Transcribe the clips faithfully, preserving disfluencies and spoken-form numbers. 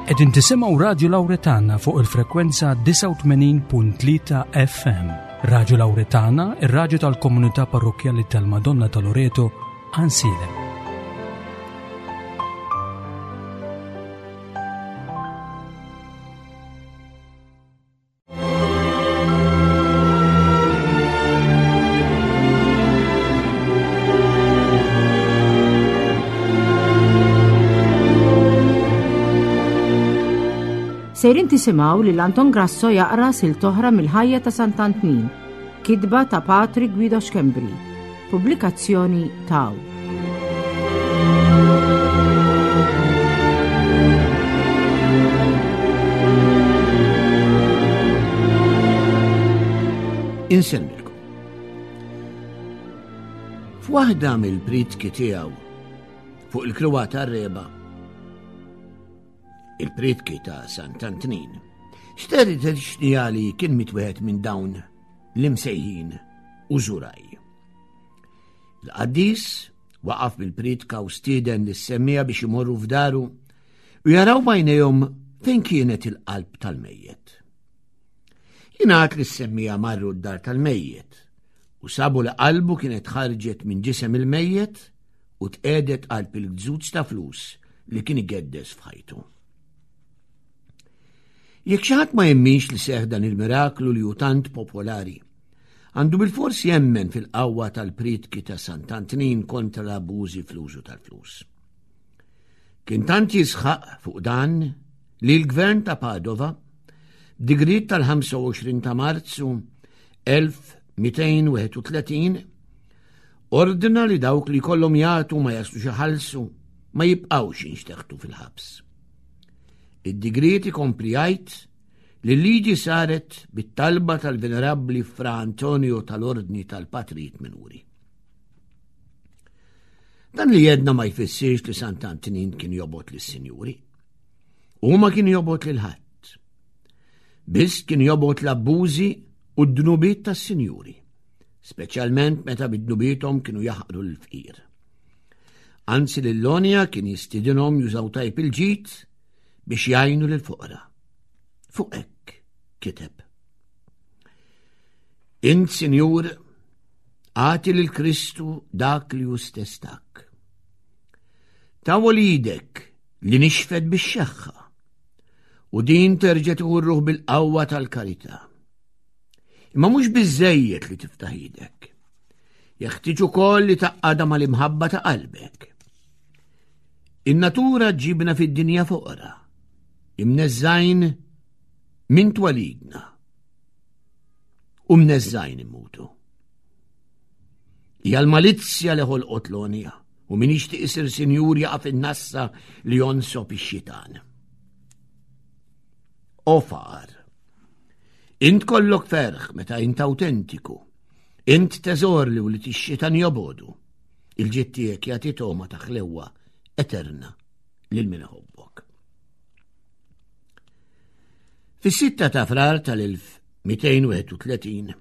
Qegħdin tisimgħu Radju Lawretana fuq il-frekwenza disgħa u tmenin punt tlieta F M. Radju Lawretana, ir-radju tal-komunità parrokkjali tal-Madonna ta' Loreto, Għajnsielem. Sejrin tisimgħu lil Anton Grasso jaqra silt oħra mill-ħajja ta' Sant'Antnin, kitba ta' Patri Guido Schembri, pubblikazzjoni Tau. Insellmilkom. F'waħda mill-pritki tiegħu fuq il-kruwa tar-reba, il-pritki ta' Sant'Antnin, xterrit xnijali kien mitwieħed minn dawn l-imsejħin użuraj. Il-qaddis waqaf bil-pritka u stieden lis-semmija biex imorru f'daru u jaraw b'għajnejhom fejn kienet il-qalb tal-mejjet. Jingħad li s-semmija marru d-dar tal-mejjet u sabu li qalbu kienet ħarġet minn ġisem il-mejjet u tqegħdet qalb il-gżuż ta' flus li kien igeddes f'ħajtu. Jekk xi ħadd ma jemminx li seħħ dan il-miraklu li hu tant popolari, għandu bilfors jemmen fil-qawwa tal-pritki ta' Sant'Antnin kontra l-abbużi fl-użu tal-flus. Kien tant jisħaq fuq dan li l-gvern ta' Padova, b'digriet tal-ħamsa u għoxrin ta' Marzu elf mitejn wieħed u tletin, ordna li dawk li kollhom jagħtu ma jaslux iħallsu ma jibqgħux jinxteħtu fil-ħabs. Id-digriet ikompli jgħid li l-liġi saret bit-talba tal-Venerabbli Fra Antonio tal-Ordni tal-Patrijiet Minuri. Dan li jedna ma jfissirx li Sant'Antnin kien jobgħod lis-sinjuri. U ma kien jobgħod lil ħadd. Biss kien jobgħod l-abbużi u d-dnubiet tas-sinjuri, speċjalment meta bid-dnubiethom kienu jaħqru l-fqir. Anzi lil-Lonja kien jistidinhom jużaw tajb il-ġid biex jgħinu lill-foqra. Fuq hekk kiteb. Int, Sinjur, agħti lil Kristu dak li hu stess tak. Tawwal idek li nixfet bix-xeħħa u din terġa' tieħu r-ruħ bil-qawwa tal-karità. Imma mhux biżżejjed li tiftaħ idek. Jeħtieġ ukoll li taqgħadha mal-imħabba ta' qalbek. In-natura ġibna fid-dinja foqra, imneżżajn minn twalidna u mneżżajn immutu. Hija l-malizzja li ħolqot l-għonja u min jixtieq isir sinjur jaqa' fin-nassa li jonsob ix-xitan. O faqar, int kollok ferħ meta int awtentiku, int teżor li wlied ix-xitan jobodu, il-ġid tiegħek jagħti togħma ta' ħlewwa eterna lil min iħobbok. Fis-sitta ta' Frar tal-elf mitejn wieħed u tletin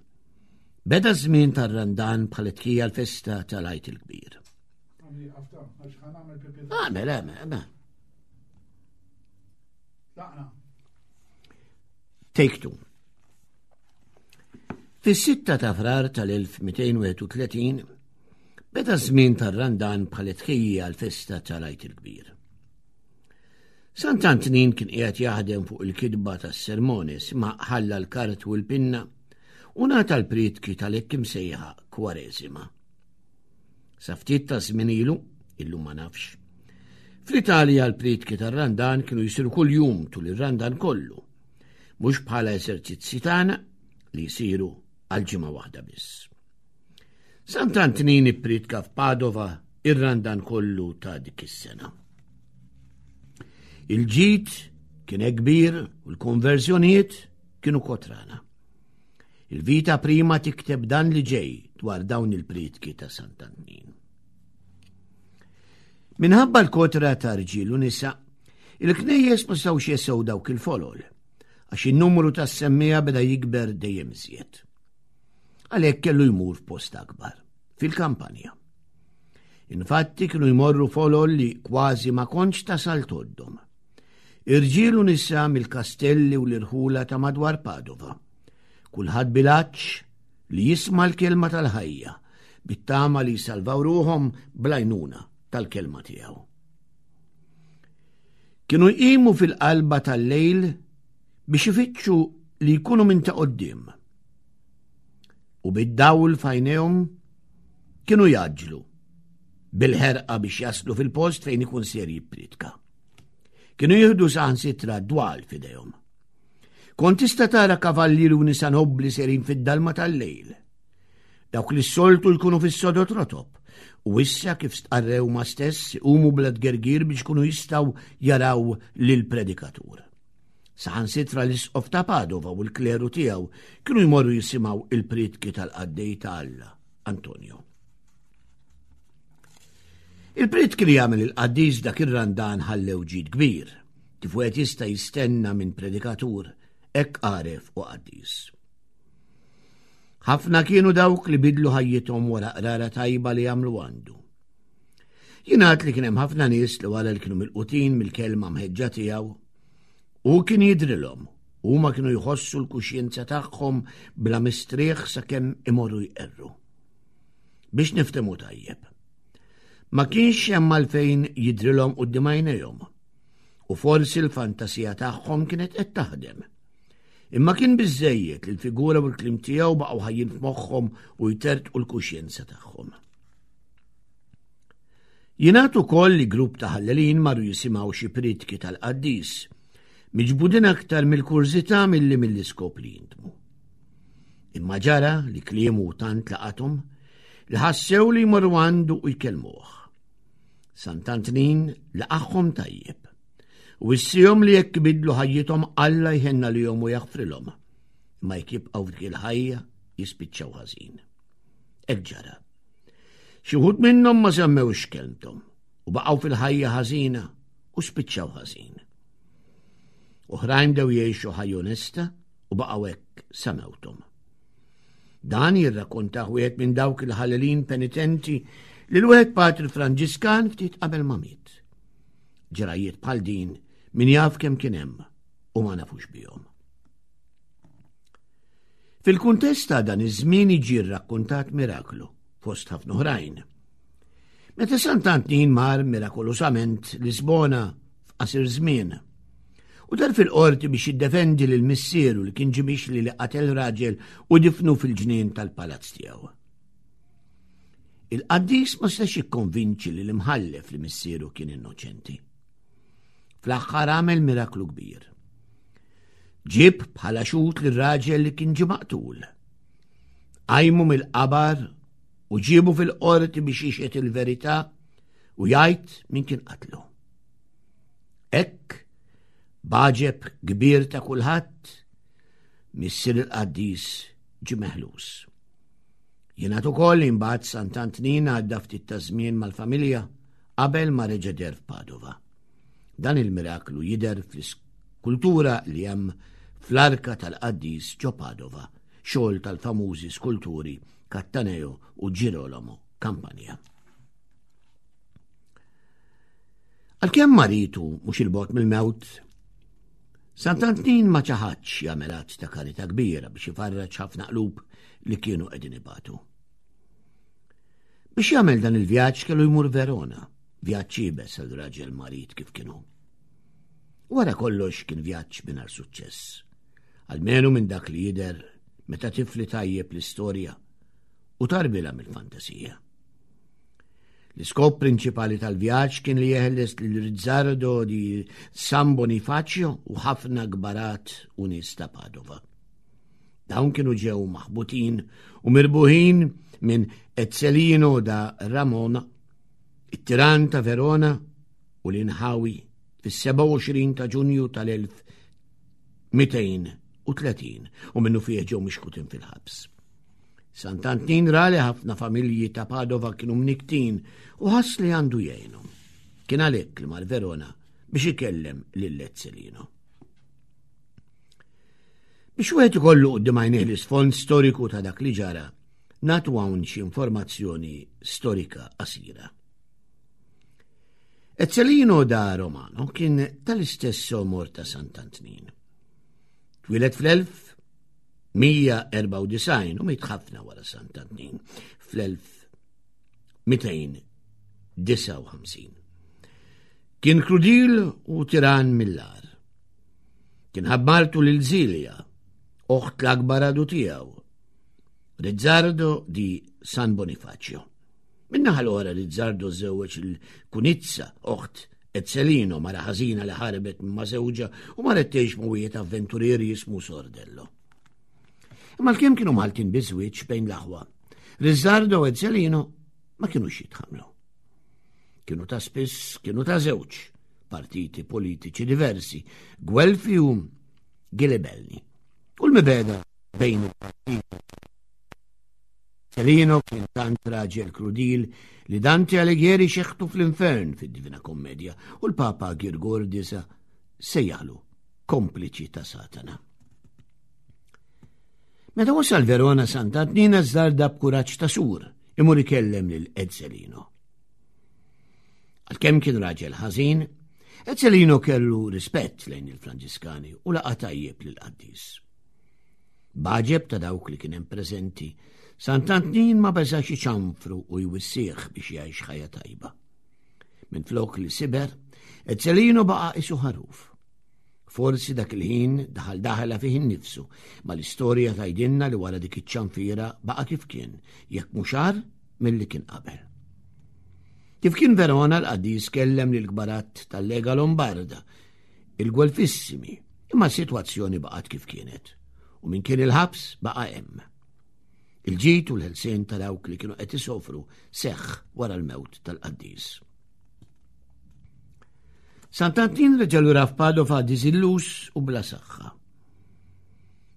beda ż-żmien tar-Randan bħala tħejjija l-festa tal-Għid il-Kbir. Għamel, għamel, għamel. Take two. Fis-sitta ta' Frar tal-elf mitejn wieħed u tletin beda ż-żmien tar-Randan bħala tħejjija l-festa tal-Għid il-Kbir. Sant'Antnin kien qiegħed jaħdem fuq il-kitba tas-sermonis ma ħalla l-kart u l-pinna u ngħata l-prietki tal-hekk imsejħa Kwareżima. Sa ftit ta' żmien ilu, illum ma nafx, fl-Italja l-prietki tar-Randan kienu jsiru kuljum tul ir-Randan kollu, mhux bħala eżerċizzi tagħna li jsiru għal ġimgħa waħda biss. Sant'Antnin ipprietka f'Padova ir-Randan kollu ta' dik is-sena. Il-ġid kien hekk kbir u l-konverżjonijiet kienu kotrana. Il-vita prima tikteb dan li ġej dwar dawn il-prietki ta' Sant'Antnin. Minħabba l-kotra ta' rġiel u nisa, il-knejjes ma setgħux jesew dawk il-folol, għax in-numru tas-semmija beda jikber dejjem iżjed. Għalhekk kellu jmur f'post akbar, fil-kampanja. Infatti kienu jmorru folol li kważi ma kontx tasal toddhom. Irġiel u nisa mill-kastelli u l-irħula ta' madwar Padova. Kulħadd bil-għatx li jisma' l-kelma tal-ħajja, bit-tama li jsalvaw ruħhom bl-għajnuna tal-kelma tiegħu. Kienu jqimu fil-qalba tal-lejl biex ifittxu li jkunu minn ta' quddiem. U bid-dawl f'għajnejhom kienu jgħaġġlu bil-ħerqa biex jaslu fil-post fejn ikun ser jippritka. Kienu jieħdu saħansitra dwal f'idejhom. Kont tista' tara kavallieri u nisa nobbli serin fid-dalma tal-lejl. Dawk li s-soltu jkunu fis-sodod rotob u issa kif stqarrew ma stess iqumu bla tgergir biex kunu jistgħu jaraw lill-predikatur. Saħansitra l-isqof ta' Padova u l-kleru tiegħu kienu jmorru jisimgħu il-prietki tal-qaddej ta' Alla, Antonio. Il-prietki li jagħmel il-qaddis dak ir-randan ħallew ġid kbir, kif wieħed jista' jistenna minn predikatur hekk għaref u qaddis. Ħafna kienu dawk li bidlu ħajjithom wara qrara tajba li jagħmlu għandu. Jingħad li kien hemm ħafna nies li wara li kienu milqutin mill-kelma mħeġġa tiegħu u kien jidrilhom huma kienu jħossu l-kuxjenza tagħhom bla mistrieħ sakemm imorru jqerru. Biex niftehmu tajjeb. Ma kienx hemm għalfejn jidrilhom quddiem għajnejhom u forsi l-fantasija tagħhom kienet qed taħdem. Imma kien biżejjed li l-figura u l-kliem tiegħu baqgħu ħajjin f'moħħhom u jtertqu l-kuxjenza tagħhom. Jingħad ukoll li grupp ta' ħallelin marru jisimgħu xi prietki tal-qaddis, miġbudin aktar mill-kurżità milli mill-iskop li jindmu. Imma ġara li kliemu tant laqathom li ħassew li jmorru għandu u jkellmuh. Sant'Antnin laqagħhom tajjeb u wissihom li jekk bidlu ħajjithom Alla jħenna lihom u jaħfrilhom, imma jekk jibqgħu f'dik il-ħajja jispiċċaw ħażin. Hekk ġara. Xi wħud minnhom ma semmewx kelmthom u baqgħu fil-ħajja ħażina u spiċċaw ħażin. Oħrajn bdew jgħixu ħajja onesta u baqgħu hekk sa mewthom. Dan jirrakkontah wieħed minn dawk il-ħallelin penitenti li l-wieħed Patri Franġiskan ftit qabel ma miet. Ġrajiet bħal din min jaf kemm kien hemm u ma nafux bihom. Fil-kuntest ta' dan iż-żmien jiġi rrakkontat miraklu fost ħafna oħrajn. Meta Sant'Antnin mar mirakolosament Lisbona f'qasir żmien u dar fil-qorti biex jiddefendi lil missieru li kien ġie mixli li qatel raġel u difnu fil-ġnien tal-palazz tiegħu. Il-qaddis ma setax jikkonvinċi li l-imħallef li missieru kien innoċenti. Fl-aħħar għamel miraklu kbir. Ġib bħala xhud lir-raġel li kien ġie maqtul. Qajmu mill-qabar u ġiebu fil-qorti biex jixhed il-verità u jgħid min kien qatlu. Hekk, b'għaġeb kbir ta' kulħadd, missier il-qaddis ġie meħlus. Jingħad ukoll li mbagħad Sant'Antnin għadda ftit ta' żmien mal-familja qabel ma reġa' deher f'Padova. Dan il-miraklu jidher fl-iskultura li hemm fl-arka tal-qaddis ġo Padova, xogħol tal-famużi skulturi Cattaneo u Girolamo Campagna. Għalkemm maritu mhux il-bogħod mill-mewt, Sant'Antnin ma ċaħadx jagħmel att ta' karità kbira biex ifarraġ ħafna qlub li kienu qegħdin ibatu. Biex jagħmel dan il-vjaġġ kellu jmur Verona, vjaġġ iebes għal raġel marid kif kienu. Wara kollox kien vjaġġ mingħajr suċċess, almenu minn dak li jidher meta tifli tajjeb l-istorja u tarbila mill-fantasija. L-iskop prinċipali tal-vjaġġ kien li jeħles lil Rizzardo di San Bonifacio u ħafna kbarat u nies ta' Padova. Dawn kienu ġew maħbutin u mirbuħin minn Ezzelino da Ramona, it-tiran ta' Verona u l-inħawi fis-sebgħa u għoxrin ta' Ġunju tal-elf mitejn u tletin u minnu fih ġew mixkutin fil-ħabs. Sant'Antnin ra li ħafna familji ta' Padova kienu mniktin u ħass li għandu jgħinhom. Kien għalhekk li mar Verona biex ikellem lil Ezzelino. Biex wieħed ikollu quddiem għajnejh l-isfond storiku ta' dak li ġara, nagħtu hawn xi informazzjoni storika qasira. Ezzelino da Romano kien tal-istess omor ta' Sant'Antnin. Twieled fl-elf mija erbgħa u disgħin u miet ħafna wara Sant'Antnin fl-elf mitejn disgħa u ħamsin. Kien krudil u tiran mill-ar. Kien ħabb martu lil Zilja, oħt l-akbar għadu tiegħu, Rizzardo di San Bonifacio. Min-naħa l-oħra Rizzardo żewweġ il-Kunizza, oħt Ezzelino, mara ħażina li ħarbet ma' żewġha u marret tgħix ma' wieħed avventurier jismu Sordello. Imma l-kemm kienu Maltin biżwieġ bejn l-aħwa, Rizzardo u Ezzelino ma kinux jitħamlu. Kienu ta' spiss, kienu ta' żewġ partiti politiċi diversi, Gwelfi u Gilibelli. U l-mibeda bejn il-partiti. Ezzelino kien tant raġel krudil li Dante Alighieri xeħtu fl-infern fid-Divina Kommedja u l-Papa Girgor disa sejjaħlu kompliċi ta' Satana. Meta wasal Verona Sant'Antnin żarda b'kuraġġ ta' sur imur ikellem lil Ezzelino. Għalkemm kien raġel ħażin, Ezzelino kellu rispett lejn il-Franġiskani u laqa' tajjeb lill-qaddis. B'għaġeb ta' dawk li kien hemm preżenti, Sant'Antnin ma beżax iċanfru u jwissih biex jgħix ħajja tajba. Minflok li siber, Ezzelino baqa' isu ħaruf. Forsi dak il-ħin daħal daħla fih innifsu, ma l-istorja tgħidilna li wara dik iċ-ċanfira baqa' kif kien, jekk mhux agħar milli kien qabel. Kif kien Verona l-qaddis kellem lil kbarat tal-Lega Lombarda, il-Gwelfissimi, imma s-sitwazzjoni baqgħet kif kienet, u min kien il-ħabs baqa' hemm. Il-ġid u l-ħelsien ta' dawk li kienu qed isofru seħħ wara l-mewt tal-qaddis. Sant'Antnin reġa' lura f'Padova diżilluż u bla saħħa.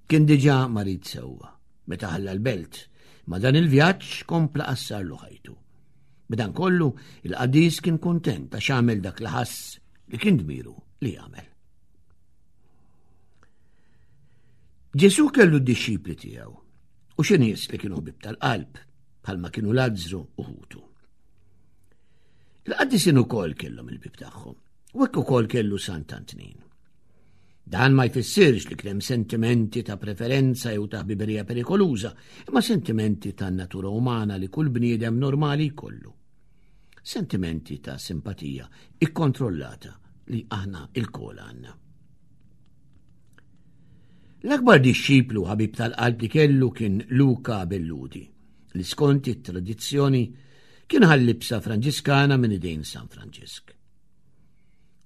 Kien diġà marid sewwa meta ħalla l-belt, ma dan il-vjaġġ kompla qassarlu ħajtu. B'dan kollu, il-qaddis kien kuntent għax għamel dak li ħass li kien dmiru li jagħmel. Ġesù kellu d-dixxipli tiegħu u xi nies li kienu ħbieb tal-qalb bħalma kienu Lazzru u ħutu. Il-qaddisin ukoll kellhom il-bib tagħhom u hekk ukoll kellu Sant'Antnin. Dan ma jfissirx li kien hemm sentimenti ta' preferenza jew ta' ħbiberija perikoluża, imma sentimenti ta' natura umana li kull bniedem normali jkollu. Sentimenti ta' simpatija ikkontrollata li aħna il-kol għandna. L-akbar dixxiplu ħabib tal-qalb li kellu kien Luca Belludi, li skont it-tradizzjoni kien ħallibsa Franġiskana minn idejn San Franġisk.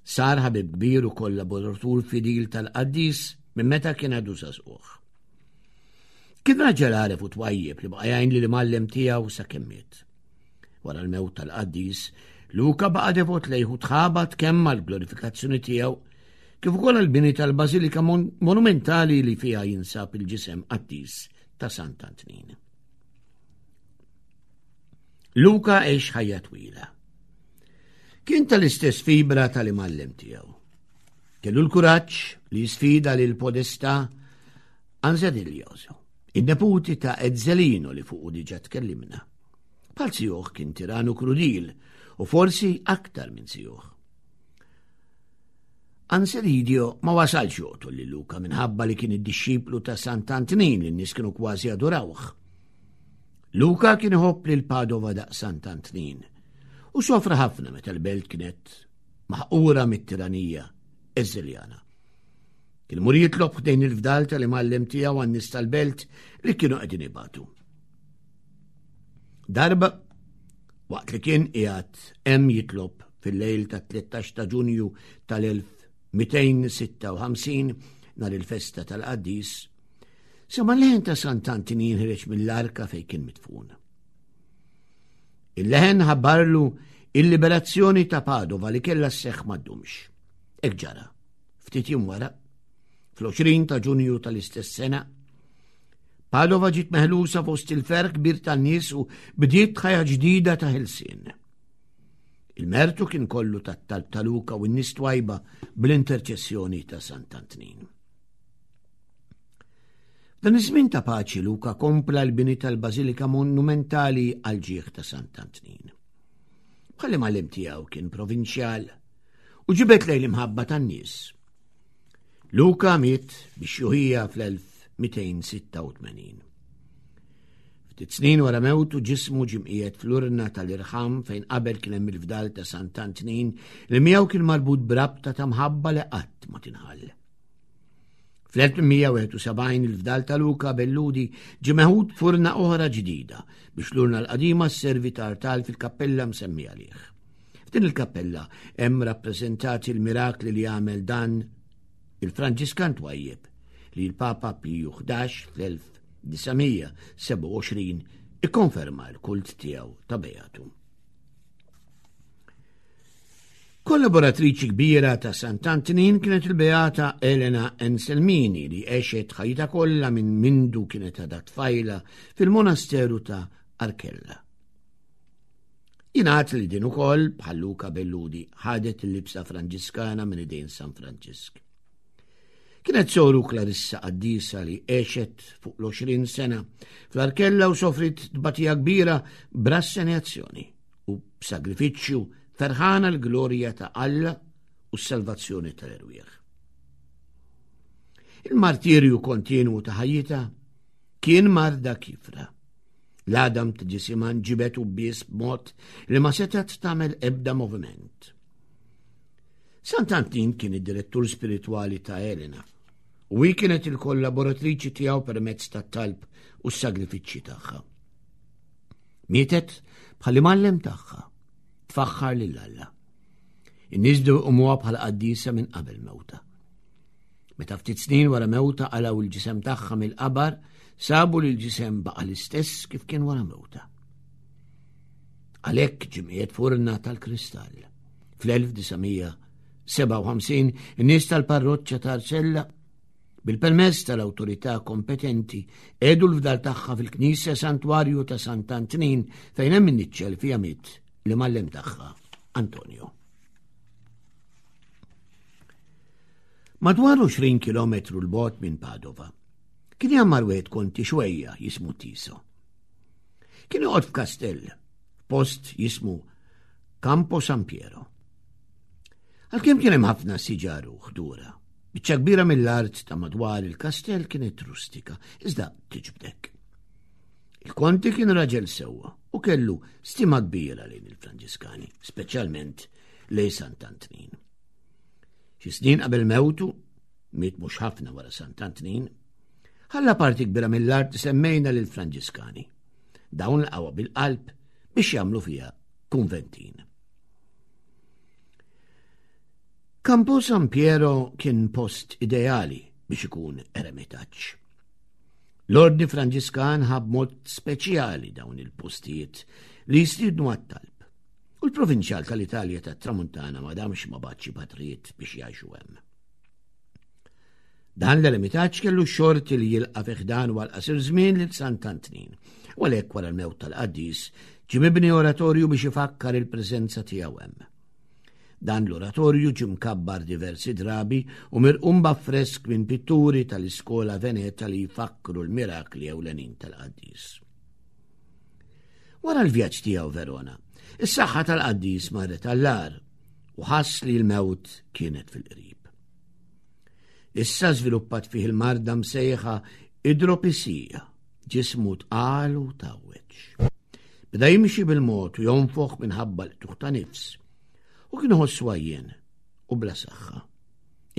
Sar ħabib kbir u kollaboratur fidil tal-qaddis minn meta kien għadu żagħżugħ. Kien raġel għaref u twajjeb li baqa' jgħin li l-imgħallem tiegħu sakemm miet. Wara l-mewt tal-qaddis, Luca baqa' devot lejh u tħabat kemm għall-glorifikazzjoni tiegħu kif ukoll għall-bini tal-Bażilika mon-, monumentali li fiha jinsab il-ġisem qaddis ta' Sant'Antnin. Luca għex ħajja twila. Kien tal-istess fibra tal-imgħallem tiegħu. Kellu l-kuraġġ li jisfida lil Podestà Ansediljoso, in-neputi ta' Ezzelino li fuqu diġà tkellimna. Bħal sijuħ kien tiranu krudil u forsi aktar minn sijuħ. Ansedidio ma wasalx joqtol lil Luca minħabba li kien id-dixxiplu ta' Sant'Antnin li n-nies kienu kważi adorawh. Luca kien iħobb lil Padova daqs Sant'Antnin u sofra ħafna meta l-belt kienet maħqura mit-tiranija Eżiljana. Kien imur jitlob ħdejn il-fdal tal-imgħallem tiegħu għan-nies tal-belt li kienu qegħdin ibatu. Darba, waqt li kien qiegħed hemm jitlob fil-lejl ta' tlettax ta' Ġunju tal-elf mitejn sitta u ħamsin, nhar il-festa tal-qaddis, sema l-leħen ta' Sant'Antnin jinħreġ mill-arka fejn kien midfun. Il-leħen ħabbarlu il-liberazzjoni ta' Padova li kellha sseħħ ma ddumx. Hekk ġara. Ftit jiem wara, fl-għoxrin ta' Ġunju tal-istess sena, Padova ġiet meħlusa fost il-ferħ kbir tan-nies u bdiet ħajja ġdida ta' ħelsien. Il-mertu kien kollu tat-talb ta' Luca u n-nies twajba bl-interċessjoni ta' Sant'Antnin. Dan iż-żmien ta' paċi Luca kompla l-bini tal-Bażilika Monumentali għal ġieħ ta' Sant'Antnin. Bħall-imgħallem tiegħu kien provinċjal u ġibed lejn l-imħabba tan-nies. Luka miet bix-xjuħija fl-elf mitejn sitta u tmenin. Ftit snin wara mewtu ġismu ġie mqiegħed fl-urna tal-irħam fejn qabel kien hemm il-fdal ta' Sant'Antnin li miegħu kien marbut b'rabta ta' mħabba li qatt ma tinħall. Fl-elf mija wieħed u sebgħin il-fdal ta' Luka Belludi ġie meħud f'urna oħra ġdida biex l-urna l-qadima sservi ta' artal fil-kappella msemmija għalih. F'din il-kappella hemm rappreżentati l-mirakli li għamel dan il-Franġiskan twajjeb li l-Papa Piju ħdax fl-elf disa' sebgħa u għoxrin ikkonferma l-kult tiegħu ta' Beatu. Kollaboratriċi kbira ta' Sant'Antnin kienet il-Beata Elena Anselmini li għexet ħajjitha kollha minn mindu kienet għadha tfajla fil-monasteru ta' Arcella. Jingħad li din ukoll bħal Luka Belludi ħadet il-libsa Franġiskana minn idejn San Franġisk. Kienet soru Clarissa qaddisa li għexet fuq l-għoxrin sena fl-Arkella u sofrit tbatija kbira b'rassenjazzjoni u b'sagrifiċċju ferħana l-glorja ta' Alla u s-salvazzjoni tal-erwieħ. Il-martirju kontinwu ta' ħajjitha kien marda kifra. L-għadam ta' ġisimha nġibet u bies b'mod li ma setgħet tagħmel ebda moviment. Sant'Antnin kien id-direttur spiritwali ta' Elena u hi kienet il-kollaboratriċi tiegħu permezz tat-talb u s-sagrifiċċji tagħha. Mietet bħal imgħallem tagħha, tfaħħar lil Alla. In-nies bdew iqumuha bħala qaddisa minn qabel mewta. Meta ftit snin wara mewta qalgħu l-ġisem tagħha mill-qabar, sabu li l-ġisem baqa' l-istess kif kien wara mewta. Għalhekk ġimqiet furna tal-kristall. Fl-elf disa' mija sebgħa u ħamsin in-nies tal-parroċċa ta' Arcella bil-permess tal-awtorità kompetenti għedu l-fdal tagħha fil-Knisja Santwarju ta' Sant'Antnin fejn hemm in-niċċel fiha miet l-imgħallem tagħha Antonio. Madwar għoxrin kilometru l-bogħod minn Padova kien jgħammar wieħed konti xwejja jismu Tiso. Kien joqgħod f'kastell, f'post jismu Campo San Piero. Għalkemm kien hemm ħafna siġar u ħdura, biċċa kbira mill-art ta' madwar il-kastell kienet rustika, iżda tiġbdek. Il-konti kien raġel sewwa u kellu stima kbira lejn il-Franġiskani, speċjalment lejn Sant'Antnin. Xi snin qabel mewtu, miet mhux ħafna wara Sant'Antnin, ħalla parti kbira mill-art semmejna lil Franġiskani. Dawn laqgħuha bil-qalb biex jagħmlu fiha kunventin. Campo San Piero kien post ideali biex ikun eremitaġġ. L-Ordni Franġiskan ħab mod speċjali dawn il-postijiet li jistiednu għat-talb. U l-provinċjal tal-Italja tat-Tramuntana ma damx ma bagħatx patrijiet biex jgħixu hemm. Dan l-eremitaġġ kellu xorti li jilqa' fi ħdan għal qasir żmien lil Sant'Antnin, u għalhekk wara l-mewt tal-qaddis ġie mibni oratorju biex ifakkar il-preżenza tiegħu hemm. Dan l-oratorju ġie mkabbar diversi drabi u mirqum b'affresk minn pitturi tal-iskola Veneta li jfakkru l-mirakli ewlenin tal-qaddis. Wara l-vjaġġ tiegħu Verona, is-saħħa tal-qaddis marret għall-agħar u ħass li l-mewt kienet fil-qrib. Issa żviluppat fih il-marda msejħa idropisija, ġismu tqal u tawweġ. Beda jimxi bil-mod u jonfoħ minħabba l-qtuħ ta' nifs, u kien iħossu għajjen u bla saħħa.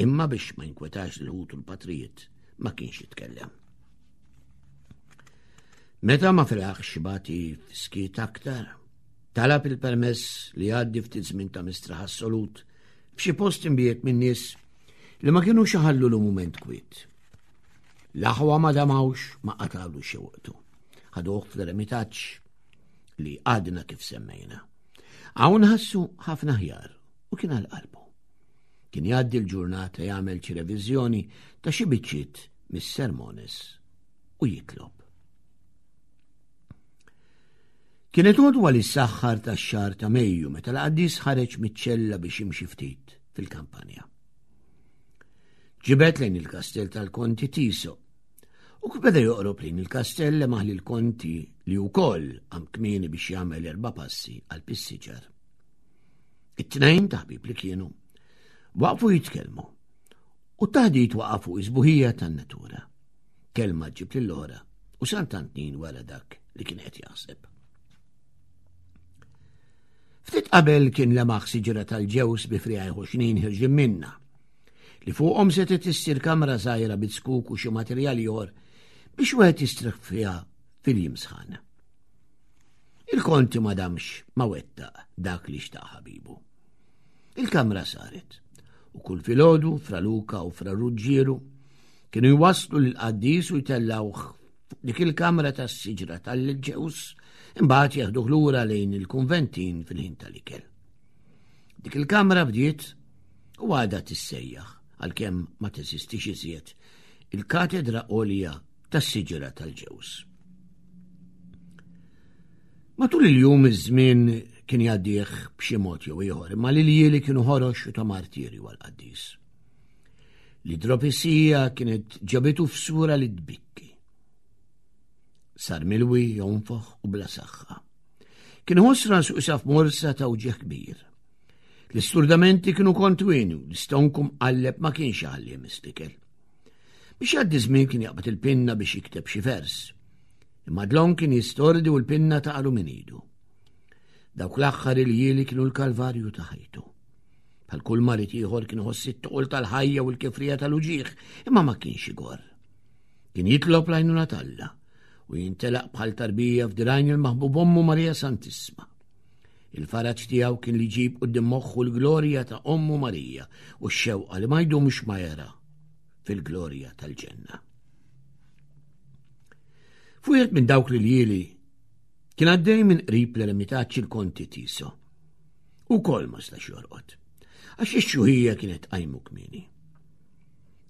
Imma biex ma jinkwetax l-ħut u l-patrijiet ma kienx jitkellem. Meta ma felaħx bati f'skiet aktar, talab il-permess li jgħaddi ftit żmien ta' mistraħ assolut f'xi post imbiet minn nies li ma kienux iħallu l mument kwiet. L-aħwa ma damawx ma qatgħulu xi waqtu. Ħaduh fl-eremitaġġ li għadna kif semmejna. Hawn ħassu ħafna ħjar u kien għal qalbu. Kien jgħaddi l-ġurnata jagħmel xi reviżjoni ta' xi biċċiet mis-sermones u jitlob. Kienet għodwa li s-saħħar tax-xahar ta' Mejju meta l-qaddis ħareġ miċ-ċella biex jimxi ftit fil-kampanja. Ġibet lejn il-kastell tal-Konti Tiso u kif beda joqrob lejn il-kastell lemaħ lil Konti li wkoll qam kmieni biex jagħmel erba' passi għal pissiġar. It-tnejn ta' ħbieb li kienu waqfu jitkellmu u t-taħdit waqa' fuq is-sbuħija tan-natura. Kelma ġib lill-oħra u Sant'Antnin wara dak li kien qed jaħseb. Ftit qabel kien lemaħ siġra tal-ġews bi friegħi ħoxnin ħirġin minna, li fuqhom setgħet issir kamra żgħira bit-skuk u xi materjal ieħor biex wieħed jistrieħ fiha fil-jiem sħan. Il-konti ma damx ma wettaq dak li xtaq ħabibu. Il-kamra saret u kull filgħodu Fra Luca u Fra Ruġġieru kienu jwasslu lill-qaddis u jtellgħuh fuq dik il-kamra tas-siġra tal-ġews, imbagħad jeħduh lura lejn il-kunventin fil-ħin tal-ikel. Dik il-kamra bdiet u għadha tissejjaħ, għalkemm ma teżistix iżjed, il-katedra għolja tas-siġra tal-ġews. Matul il-jum iż-żmien kien jgħaddih b'xi mod jew ieħor, imma l-iljieli kienu ħorox u ta' martirju għall-qaddis. L-idropisija kienet ġabitu f'sura li tbikki. Sar milwi, jonfoħ u bla saħħa. Kien iħoss rasu isaf morsa ta' uġigħ kbir. L-isturdamenti kienu kontwini u l-istonku mqalleb ma kienx iħalli jmiss. Biex jgħaddi żmien kien jaqbad il-pinna biex jikteb xi vers. Imma dlonk kien jistordi u l-pinna taqalu minn idu. Dawk l-aħħar iljieli kienu l-kalvarju ta' ħajtu. Bħal kull marid ieħor kien iħoss it-toqol tal-ħajja u l-kifrija tal-uġigħ, imma ma kienx igorr. Kien jitlob l-għajnuna t'Alla u jintelaq bħal tarbija f'dirajn il-maħbub ommu Marija Santissima. Il-faraġ tiegħu kien li jġib quddiem moħħu l-glorja ta' ommu Marija u x-xewqa li ma jdumx ma jara fil-glorja tal-ġenna. F'wieħed minn dawk l-iljieli kien għaddej minn qrib l-eremitaġġ il-Konti Tiso. U kol ma stax jorqod, għax ix-xjuħija kienet qajmu kmieni.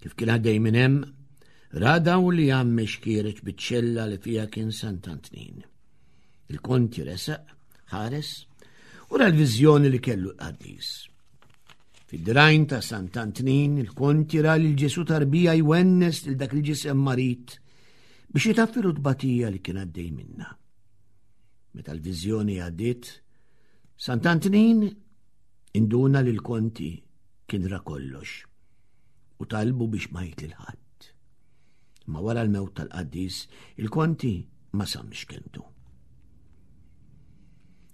Kif kien għaddej minn hemm, ra dawl li għammex kiereġ biċ-ċella li fiha kien Sant'Antnin. Il-Konti resaq, ħares, u ra l-viżjoni li kellu l-qaddis. Fid-dirgħajn ta' Sant'Antnin, il-Konti ra lil Ġesù tarbija jwennes lil dak il-ġisem marid biex jitaffilu tbatija li kien għaddej minna. Meta l-viżjoni għaddiet, Sant'Antnin induna li l-Konti kien ra kollox u talbu biex ma jgħid lil ħadd. Ma wara l-mewt tal-qaddis, il-Konti ma samx kelmtu.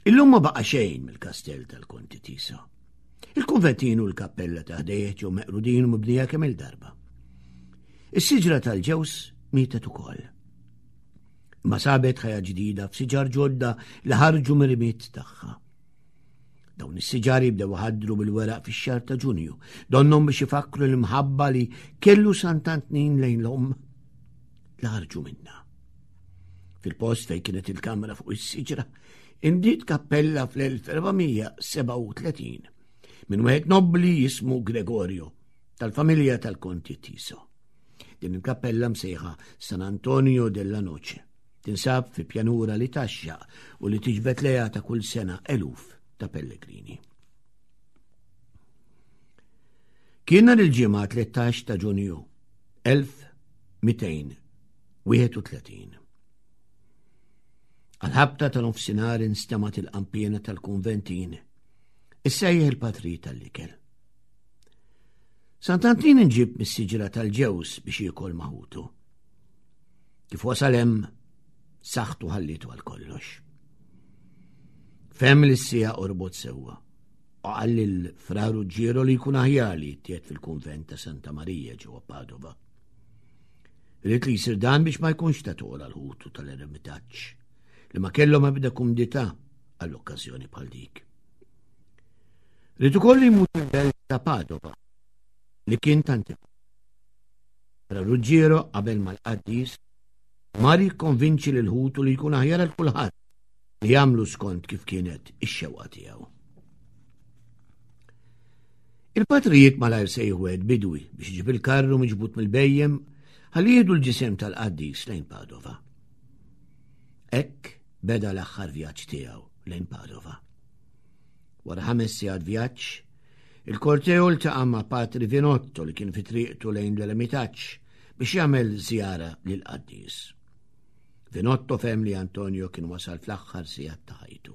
Illum ma baqa' xejn mill-kastell tal-Konti Tiso. Il-kunventin u l-kappella ta' ħdejh ġew meqrudin u mibnija kemm il-darba. Is-siġra tal-ġews mietet ukoll. Ma sabet ħajja ġdida f'siġar ġodda li ħarġu mir-rmied tagħha. Dawn is-siġar jibdew iħaddru bil-weraq fix-xahar ta' Ġunju, donnhom biex ifakkru l-imħabba li kellu Sant'Antnin lejn l-omm li ħarġu minna. Fil-post fejn kienet il-kamra fuq is-siġra, inbdiet kappella fl-elf erba' mija sebgħa u tletin minn wieħed nobbli jismu Gregorio tal-familja tal-Konti Tiso. Din il-kappella msejħa San Antonio della Noce tinsab fi pjanura li taxxaq u li tiġbed lejha ta' kull sena eluf ta' pellegrini. Kien nhar il-Ġimgħa tlettax ta' Ġunju elf mitejn wieħed u tletin. Għal-ħabta ta' nofsinhar instemgħet il-qampiena tal-kunventin issejjaħ il-patri tal-ikel. Sant'Antnin inġib mis-siġra tal-ġews biex jiekol maħutu. Kif wasal hemm, saħħtu ħallitu għal kollox. Fem li s-sija qorbot sewwa u qal lil Fra Ruġġiero li jkun aħjar li jittiet fil-kunvent ta' Santa Marija ġewwa Padova. Ried li jsir dan biex ma jkunx ta' toqol għal ħutu tal-eremitaġġ li ma kellhom ebda kumdità għall-okkażjoni bħal dik. Ried ukoll li jmut il-belt ta' Padova li kien tant. Fra Ruġġiero qabel mal-qaddis mar jikkonvinċi lil ħutu li jkun aħjar għal kulħadd li jagħmlu skont kif kienet ix-xewqa tiegħu. Il-patrijiet malajr sejħu wieħed bidwi biex iġib il-karru miġbud mill-bejjem ħalli jieħdu l-ġisem tal-qaddis lejn Padova. Hekk beda l-aħħar vjaġġ tiegħu lejn Padova. Wara ħames sigħat vjaġġ, il-korteo ltaqa' ma' Patri Vinotto li kien fi triqtu lejn l-eremitaġġ biex jagħmel żjara lill-qaddis. Vinotto fehem li Antonio kien wasal fl-aħħar sigħat ta' ħajtu.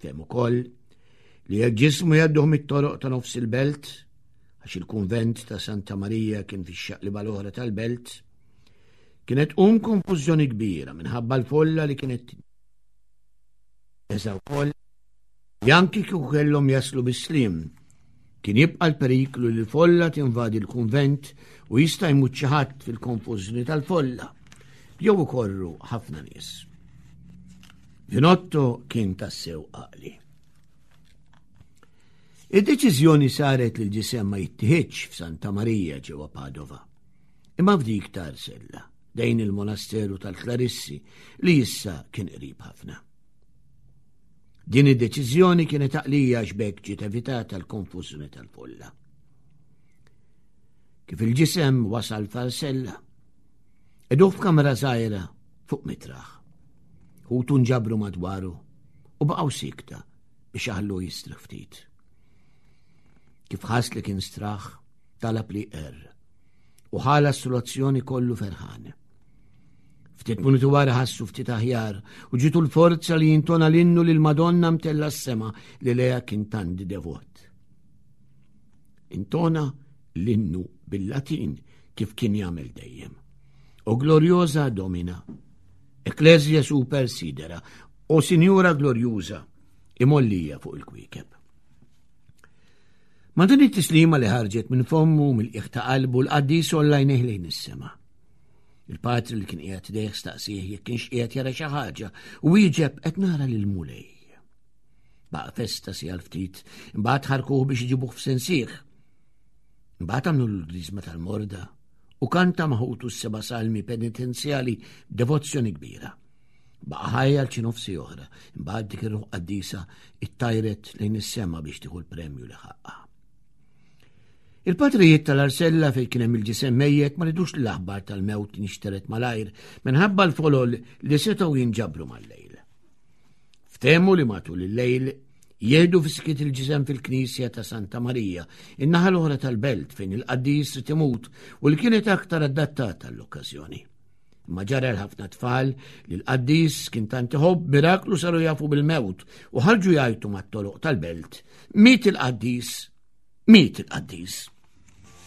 Fehem ukoll li jekk ġismu jgħadduh mit-toroq ta' nofs il-belt, għax il-kunvent ta' Santa Marija kien fix-xaqliba l-oħra tal-belt, kienet tqum konfużjoni kbira minħabba l-folla li kienet eża wkoll li anki kieku kellhom jaslu bis-sliem, kien jibqa' l-periklu li l-folla tinvadi l-kunvent u jista' jmut xi ħadd fil-konfużjoni tal-folla jew ikorru ħafna nies. Vinotto kien tassew għaqli. Id-deċiżjoni saret li l-ġisem ma jittieħidx f'Santa Marija ġewwa Padova, imma f'dik ta' Arsella, dejn il-monasteru tal-Klarissi li issa kien qrib ħafna. Din id-deċiżjoni kienet għaqlija għax b'hekk ġiet evitata l-konfużjoni tal-folla. Kif il-ġisem wasal f'Arsella, qegħduh f'kamra żgħira fuq mitraħ. Ħutu nġabru madwaru u baqgħu sikta biex aħlu jistrieħ ftit. Kif ħass li kien straħ, talab li jqerr u ħa l-assoluzzjoni kollu ferħan. Ftit minuti wara ħassu ftit aħjar u ġitu l-forza li jintona l-innu lil Madonna mtella s-sema li leha kien tant devot. Intona l-innu bil-Latin kif kien jagħmel dejjem. O gloriosa Domina, Ecclesia super sidera, o Sinjura glorjuża, imgħollija fuq il-kwiekeb. Ma din it-tislima li ħarġet minn fommu mill-qiegħ ta' qalbu l-qaddis għolla għajnejh lejn is-sema. Il-patri li kien qiegħed ħdejh staqsieh jekk kienx qiegħed jara xi ħaġa u wieġeb qed nara lil Mulej. Baqa' f'estasi għal ftit, imbagħad ħarkuh biex iġibuh f'sensih. Imbagħad għamlu l-griżma tal-morda u kanta ma' ħutu s-seba' salmi penitenzjali b'devozzjoni kbira. Baqa' ħaj għal xi nofs siegħa oħra, imbagħad dik ir-ruħ qaddisa ittajret lejn is-sema biex tieħu l-premju li ħaqqa. Il-patrijiet tal-Arsella fejn kien hemm il-ġisem mejjet ma ridux l-aħbar tal-mewt nixteret malajr minħabba l-folol li setgħu jinġabru mal-lejl. Ftehmu li matul il-lejl jieħdu fis-skiet il-ġisem fil-Knisja ta' Santa Marija, in-naħa l-oħra tal-belt fejn il-qaddis trid imut u li kienet aktar adattata għall-okkażjoni. Imma ġara l-ħafna tfal li l-qaddis kien tant iħobb miraklu saru jafu bil-mewt u ħarġu jgħajtu mat-toroq tal-belt. Miet il-qaddis, miet il-qaddis.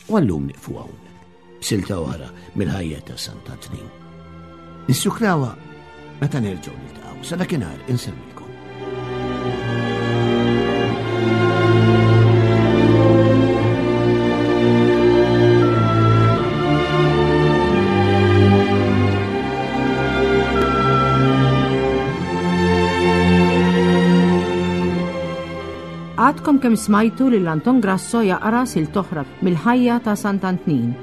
U għallum nieqfu hawn, b'silta oħra mill-ħajja ta' Sant'Antnin. Nissukrawha meta nerġgħu niltaqgħu. Sa dakinhar insellmilkom. Għadkom kemm smajtu lil Anton Grasso jaqra silta oħra mill-ħajja ta' Sant'Antnin,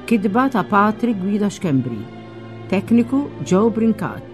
kitba ta' Patri Guido Schembri, tekniku Joe Brincat.